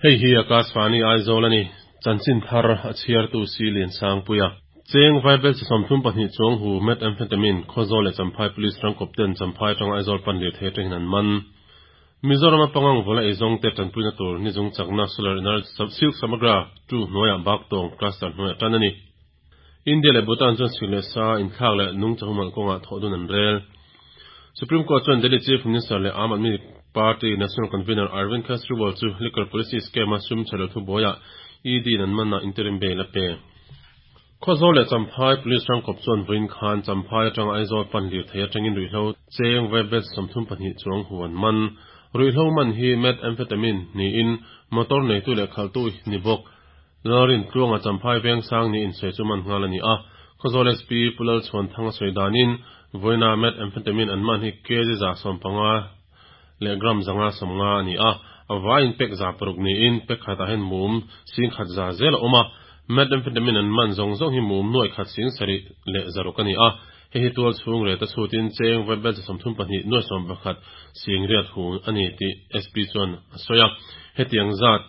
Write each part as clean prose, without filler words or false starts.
Hei hi Akashvani Aizawl a ni. Chanchin thar a chhiartu Si Liansangpuia. Cheng Vaibelchhe 32 chuang hu Methamphetamine Khawzawl leh Champhai Police rangkawp ten Champhai atanga Aizawl pan lirthei atangin an man. Mizorama pangang vawla eizawngte tanpuina tur nizung chakna Solar Energy Silk Samagra 2 hnuaiah Baktawng Cluster hnuaiah tan a ni. India leh Bhutan chuan sik leh sa inthlak leh nungcha humhalh kawngah thawh dun an rel. Supreme Court chuan Delhi Chief Minister leh Aam Aadmi Party National Convener Arvind Kejriwal chu Liquor Policy Scheme-a sum chhe lo thubuaiah ED in an manah interim bail a pe. Khawzawl leh Champhai Police rangkawp chuan vawiin khan Champhai atanga Aizawl pan lirthei atangin ruihhlo cheng vaibet 32 chuang hu an man. Ruihhlo man hi methamphetamine niin motor neitu leh khalhtu ni bawk. Lalrin Tluanga Champhai Vengsang ni insawi chu man nghal a ni a, Khawzawl SP Pu Lalchhuanthanga sawi danin vawiina methamphetamine an man hi kg 115 leh gram 150 a ni a, a vaiin pek 600 niin pek khatah hian mum 100,000 zel a awm a, methamphetamine an man zawng zawng hi mum 7,700 leh 600 a ni a, hei hi tual chhung reta chhutin cheng vaibelchhe 32 nuai 11 sing riat hu a ni tih SP chuan a sawi a, hetiang zat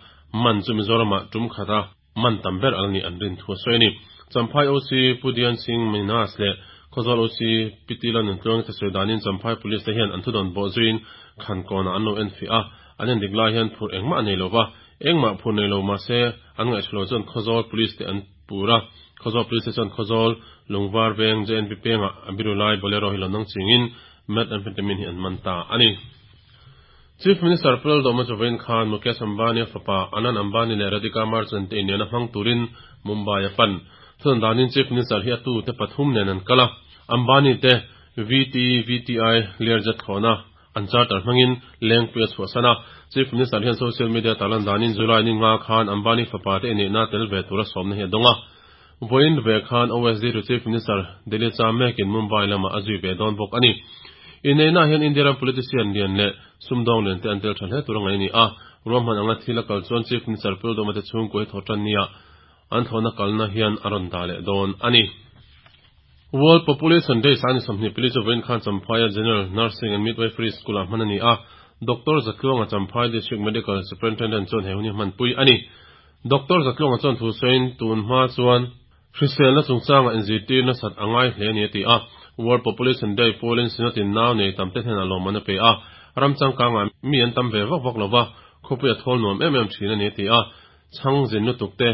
man chu Mizoramah tum khata man tam ber al ni an rin thu a sawi a ni. Champhai OC Pu Dian Singh Minas leh Khawzawl OC Pi Ti Lal Nuntluangi te sawi danin Champhai Police te hian an thudawn bawh zuiin Khankawnah an lo en fiah a, an en dik lai hian phur engmah a nei lo va, engmah phur nei lo mahse an ngaihthalo chuan Khawzawl Police te an pur a, Khawzawl Police te chuan Khawzawl Lungvar Veng JNP pengah a biru lai Bolero hi lo nang chingin methamphetamine hi an man ta a ni. Chief Minister Pu Lalduhoma chu vawiin khan Mukesh Ambani a fapa Anand Ambani leh Radhika Merchant te inlian a hmang turin Mumbai a pan. Thun danin Chief Minister hi a tu te pathum nen an kal a, Ambani te VT VTI Learjet thlawhna an charter hmangin Lengpui a chhuahsan a. Chief Minister hian social media tarlan danin July ni nga khan Ambani fapa te inneihna tel ve tura sawmna hi a dawng a. Vawiin ve khan OSD to Chief Minister Delhi cham mekin Mumbai lamah a zui ve dawn bawk a ni. Inneihnaah hian India ram politician lian leh sumdawng lian te an tel tha hle tur a ngaih a ni a. Ruahman anga thil a kal chuan Chief Minister Pu Lalduhoma te chhungkua hi thawh tan nia an thlawhna kalna hian a rawn dah leh dawn a ni. World Population Day sani 24 chu vawiin khan Champhaia General Nursing and Midwifery School-ah hman a ni a. Doctor Zatluanga Champhai District Medical Superintendent chuan he hun hi hmanpui a ni. Doctor Zatluanga chuan thu sawiin tun hma chuan hriselna chungchanga inzirtir nasat a ngai hle a ni a ti a. World Population Day pualin Synod in nau nei tam te hnenah lawmman a pe a, ram changkangah mi an tam ve vak vak lova, khawpui a thawl nuam em em thin a ni a ti a. Chhang zin lutuk te,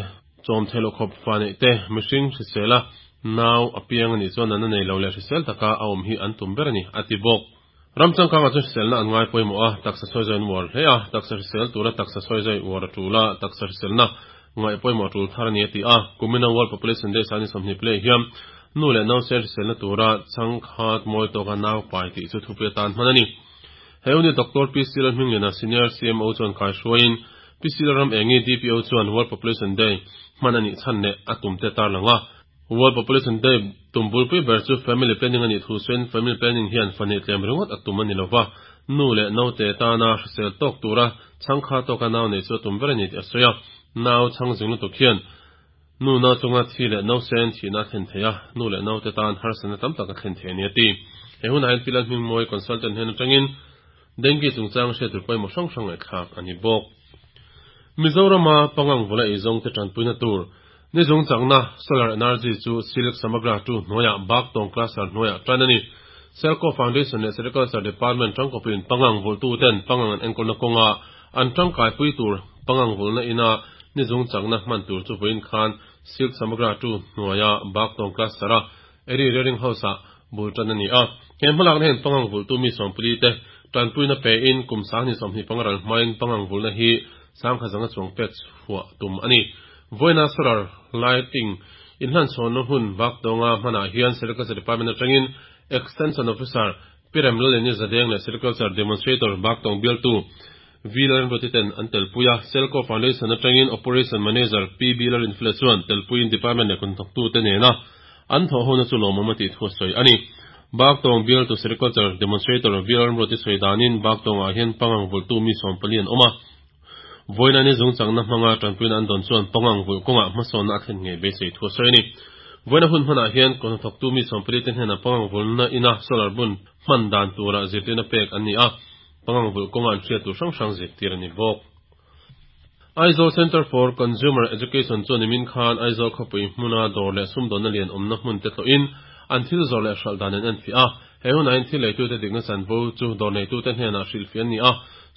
chawm theih loh khawp fa neih te, mihring hrisela nau a piang a nih chuan natna nei lo leh hrisel taka a awm hi an tum ber a ni a ti bawk. Ram changkangah chuan hriselna an ngai pawimawh a, taksa sawi zawi an uar hle a, taksa hrisel tura taksa sawi zawi uar a tul a, taksa hriselna ngaih pawimawh a tul thar a ni a ti a. Kumina World Population Day sani 20 play hian nu leh nau sen hriselna tura changkhat mawi tawka nau pai tih chu thupui atan hman a ni. He unit Doctor PC Lalhmingliana Senior CMO chuan kaihruaiin PC Lalram Engi DPO chuan World Population Day hman a nih chhan leh a tumte tarlang a. World Population Day tum bulpui ber chu family planning a nih thu sawiin family planning hian fa neih tlem ringawt a tum a ni lova, nu leh naute tana hrisel tawk tura chhangkha tawka nau neih chu a tum ber a ni tih a sawi a. Nau chhang zing lutuk hian nu nau chunga thi leh nausen thihna a thlen thei a, nu leh naute tan harsatna tam tak a thlen thei a ni a ti. He hunah hian Pi Lalhmingmawi consultant hnen atangin Dengue chungchang hriat tur pawimawh hrang hrang ngaihthlak a ni bawk. Mizorama pangang vawla eizawngte tanpuina tur nizung chakna solar energy chu Silk Samagra 2 hnuaiah Baktawng Cluster hnuaiah tan a ni. Selco Foundation leh Sericulture Department tangkawpin pangang vawlhtuten pangang an enkawlna kawnga an tangkaipui tur pangang vawlhna ina nizung chakna hman tur chu vawiin khan Silk Samagra 2 hnuaia Baktawng Cluster-a Eri Rearing House-ah bul tan a ni a. He hmalakna hian pangang vulhtu mi 40 te tanpuina pein kum 2025 ral hmain pangang vulhna hi 10,000 chuang pek chhuah tum a ni. Vawiina solar lighting inhlan chhawnna hun Baktawnga hmanah hian Sericulture Department atangin Extension Officer Pi Remlalini Zadeng leh Sericulture Demonstrator Baktawng bialtu V Lalrinruati ten an telpui a. Selco Foundation atangin Operation Manager P B Lalrinfela chuan telpuiin department leh kuthnawktute nena an thawh hona chu lawmawm a tih thu a sawi a ni. Baktawng bialtu Sericulture Demonstrator V Lalrinruati sawi danin Baktawngah hian pangang vulhtu mi 40 an awm a. Vawiina ni zungchangna hmanga tanpuina an dawn chuan pangang vulh kawngah hmasawnna a thlen ngei beisei thu a sawi a ni. Vawiina hun hmanah hian kuthnathawktu mi 40 te hnenah pangang vulhna ina solar bun hman dan tura zirtirna pek an ni a, pangang vulh kawngah an hriat tur hrang hrang zirtir a ni bawk. Aizawl Centre for Consumer Education chuan nimin khan Aizawl khawpui hmuna dawr leh sumdawnna lian awmna hmun te tlawhin an thil zawrh leh hralh dan an enfiah a. He hunah hian thil leitute dikna chanvo chu dawr neitute hnenah hrilhfiah an ni a.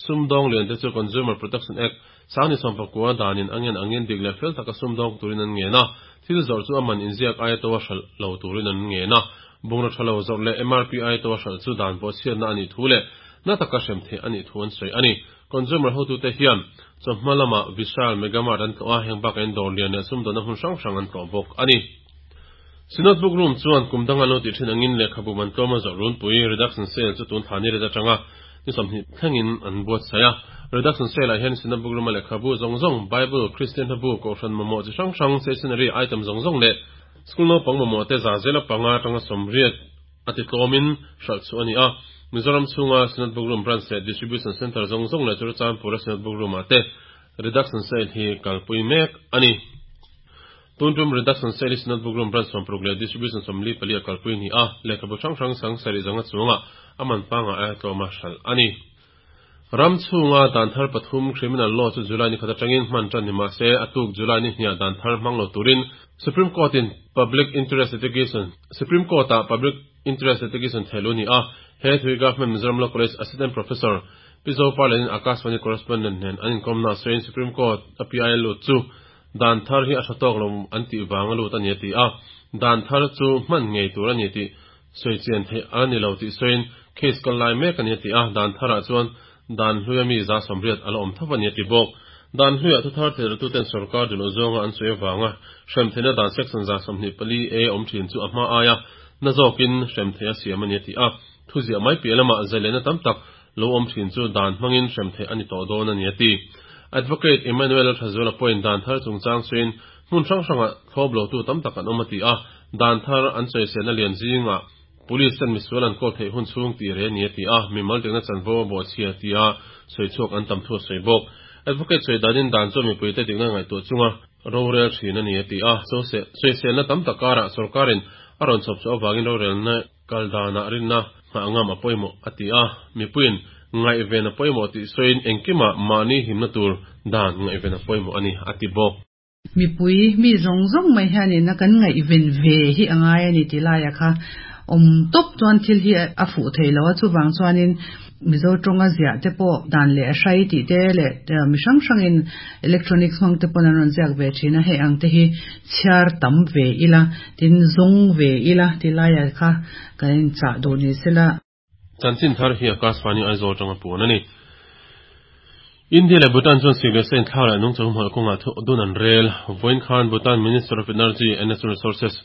Sumdawng lian te chu Consumer Protection Act, Sangni sawmpakua danin a ngen angin dik leh fel taka sumdawng turin an ngen a. Thil zawrh chu a man inziak aia to a hralh lo turin an ngen a. Bungraw tha lo zawrh leh MRP aia to a hralh chu dan bawhchhiatna a nih thu leh na taka hrem theih a nih thu an sawi a ni. Consumer hotute hian chawhma lamah Vishal Mega Mart an tlawh a, heng bakah in dawr lian leh sumdawnna hmun hrang hrang an tlawh bawk a ni. Synod Book Room chuan kum danga lo tih thin angin lehkhabu man tlawma zawrh runpui, Reduction Sale, chu tun thla ni ret atanga ni 20 thlengin an buatsaih a. Reduction Sale-ah hian Synod Book Room-a lehkhabu zawng zawng, Bible, Kristian hlabu, Kohhran mamawh chi hrang hrang, stationery item zawng zawng leh School naupang mamawh te za zela panga atanga 80 a ti tlawmin hralh chhuah a ni a. Mizoram chhunga Synod Book Room Branch leh Distribution Centre zawng zawng leh Churachandpur-a Synod Book Room-ah te Reduction Sale hi kalpui mek a ni. Tun tum Reduction Sale hi Synod Book Room Branch 60 leh Distribution 44 a kalpui a ni a, lehkhabu hrang hrang sang sarih zanga chungah a man pangah aia tlawma hralh a ni. Ram chhunga dan thar pathum Criminal Law chu July ni khat atangin hman tan ni mah se, a tuk July ni hniah dan thar hmang lo turin Supreme Court-in Public Interest Litigation Supreme Court-ah Public Interest Litigation thehluh a ni a. He thui Government Mizoram Law College Assistant Professor Pi Zoparlenin Akashvani Correspondent nen an inkawmna a sawiin Supreme Court a PIL lut chu dan thar hi a tha tawk lo an tih vang a lut a ni a ti a. Dan thar chu hman ngei tur a ni tih Sawi chian theih a ni lo tih sawiin case kal lai mek a ni a ti a, dan tharah chuan dan hluia mi 180 a la awm tho a ni a ti bawk. Dan hluiah thuthar theihratute'n sorkar duhloh zawnga an sawi avanga hrem theihna dan section 124 A awm thin chu a hma aia na zawkin hrem theih a siam a ni a ti a, thuziah mai piah lamah zailenna tam tak lo awm thin chu dan hmangin hrem theih a ni tawh dawn a ni a ti. Advocate Emmanuel Thazuala pawhin dan thar chungchang sawiin hmun hrang hrangah thlawp lotu tam tak an awm a ti a, Dan thar an sawiselna lian zingah Police ten misual an kawl theih hun chhung tih reh a ni a ti a, mimal dikna chanvo a bawhchhia tia sawi chhuak an tam thu a sawi bawk. Advocate sawi danin dan chuan mipuite dikna ngaihtuah chunga rorel thin a ni a ti a, sawiselna tam tak karah sorkarin a rawn chhawp chhuah avangin rorelna kal danah rinna nghah ngam a pawimawh a ti a, mipuiin ngaihven a pawimawh tih sawiin engkimah mahni himna tur dan ngaihven a pawimawh a ni a ti bawk. Mipui mi zawng zawng mai hianin a kan ngaihven ve hi a ngai a ni tih laiah kha awm tawp chuan thil hi a fuh thei lo a, chuvang chuanin Mizo tawnga ziah te pawh dan leh a hrai tih te leh mi hrang hrangin electronics hmang te pawn an rawn ziak ve thin a, hei ang te hi chhiar tam ve ila tin zawng ve ila tih laiah kha kan inchah duh ni sela. Chanchin thar hi Akashvani Aizawl atanga puan a ni. India leh Bhutan chuan sik leh sa inthlak leh nungchang humhalh kawngah thu dun an rel. Vawiin khan Bhutan Minister of Energy and Natural Resources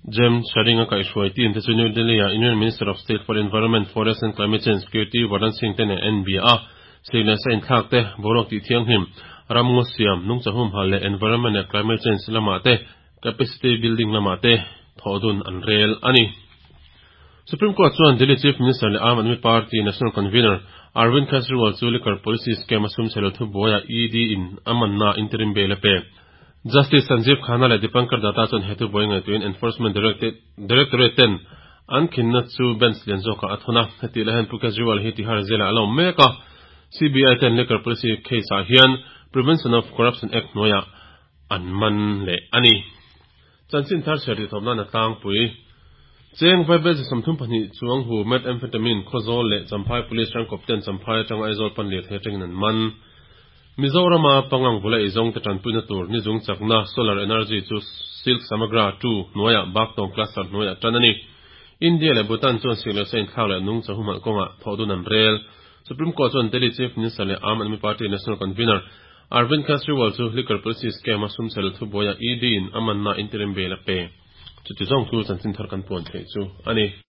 Jem Tshering a kaihhruai team te chu New Delhi-ah Union Minister of State for Environment, Forest and Climate Change Kirti Vardhan Singh te nen an inbia a. Sik leh sa inthlak te, boruak tih thianghlim, ram ngaw siam, nungchang humhalh leh environment leh climate change lamah te capacity building lamah te thawh dun an rel a ni. Supreme Court chuan Delhi Chief Minister leh Aam Aadmi Party National Convener Arvind Kejriwal chu liquor policy scam a sum chhe lo thubuaiah ED in a manna interim bail a pe. Justice Sanjeev Khanna leh Dipankar Datta chuan he thubuai ngaihtuahin Enforcement Directorate ten an khinna chu bench lian zawkah a thawn a. Hetih lai hian Pu Kejriwal hi Tihar Jail-ah a la awm mek a. CBI ten liquor policy case-ah hian Prevention of Corruption Act hnuaiah an man leh a ni. Chanchin thar chhiar tih thawm nan a tlangpui. Cheng Vaibelze 32 chuang hu Methamphetamine Khawzawl leh Champhai Police rangkawp ten Champhai atanga Aizawl pan lirthei atangin an man. Mizorama pangang bula eizawng te tanpuina tur nizung chakna Solar Energy chu Silk Samagra 2 hnuaiah Baktawng Cluster hnuaiah tan a ni. India leh Bhutan chuan sik leh sa inthlak leh nungcha humhalh kawngah thawhdun an rel. Supreme Court chuan Delhi Chief Minister leh Aam Aadmi Party National Convener Arvind Kejriwal chu liquor policy scam a sumchhel thubuaia ED in a manna interim bail a pe. Chuti zawng chu chanchin thar kan puan theih chu a ni.